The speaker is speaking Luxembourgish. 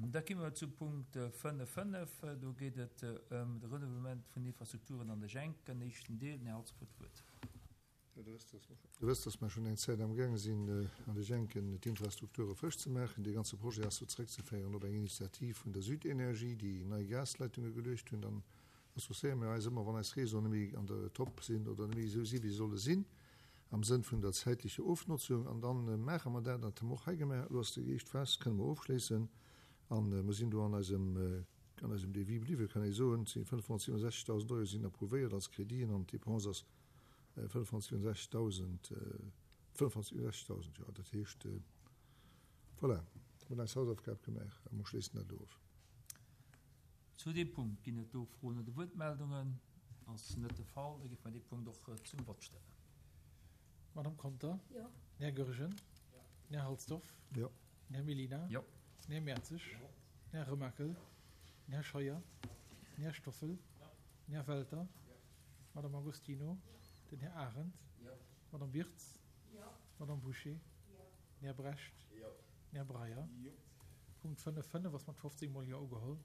Da komme mer zu Punkt 5, 5. Do geet et ëm de Renouvellement vun Infrastrukturen an de Jenken, éischten Deel. Den Här Halsdorf huet d'Wuert. Dir wësst, dass mer schonn eng Zäit amgaange sinn, an de Jenken d'Infrastrukture frësch ze maachen. Dee ganze Projet ass do zeréckzeféieren op eng Initiativ vun der Südenergie, déi nei Gasleitunge geluecht hunn. Dann associéiere mir eis ëmmer, wann eis Réseauen net méi an der Top sinn oder net méi esou sinn, wéi se solle sinn, am Sënn vun der zäitlecher Ofnotzung. An da maache mer dat. Dat hu mer och hei gemaach. Elo ass déi éischt Phas, kënne mer ofschléissen. A mer sinn do an eisem, an eisem Devis bliwwen, kann ee soen. Et si 567.000 Euro sinn approuvéiert als Créditen an d'Dépense ass 567.000, 567.000, jo, dat heescht, voilà, mir hunn eis Hausaufgab gemaach a mer schléissen dat elo of. Zu deem Punkt ginn et do Froen oder Wuertmeldungen? Ass net de Fall, da géife mer dee Punkt och zum Vott stellen. Madame Conter? Jo. Den Här Goergen? Jo. Den Här Halsdorf? Jo. Den Här Mellina? Jo. Den Här Mertzig? Jo. Den Här Remakel? Den Här Scheuer? Den Här Stoffel? Jo. Den Här Welter? Jo. D'Madame Agostino, den Här Arendt, d'Madame Wirtz, d'Madame Bouché, den Här Brecht, den Här Breyer. Punkt 5, 5 ass mat 15 mol Jo ugeholl.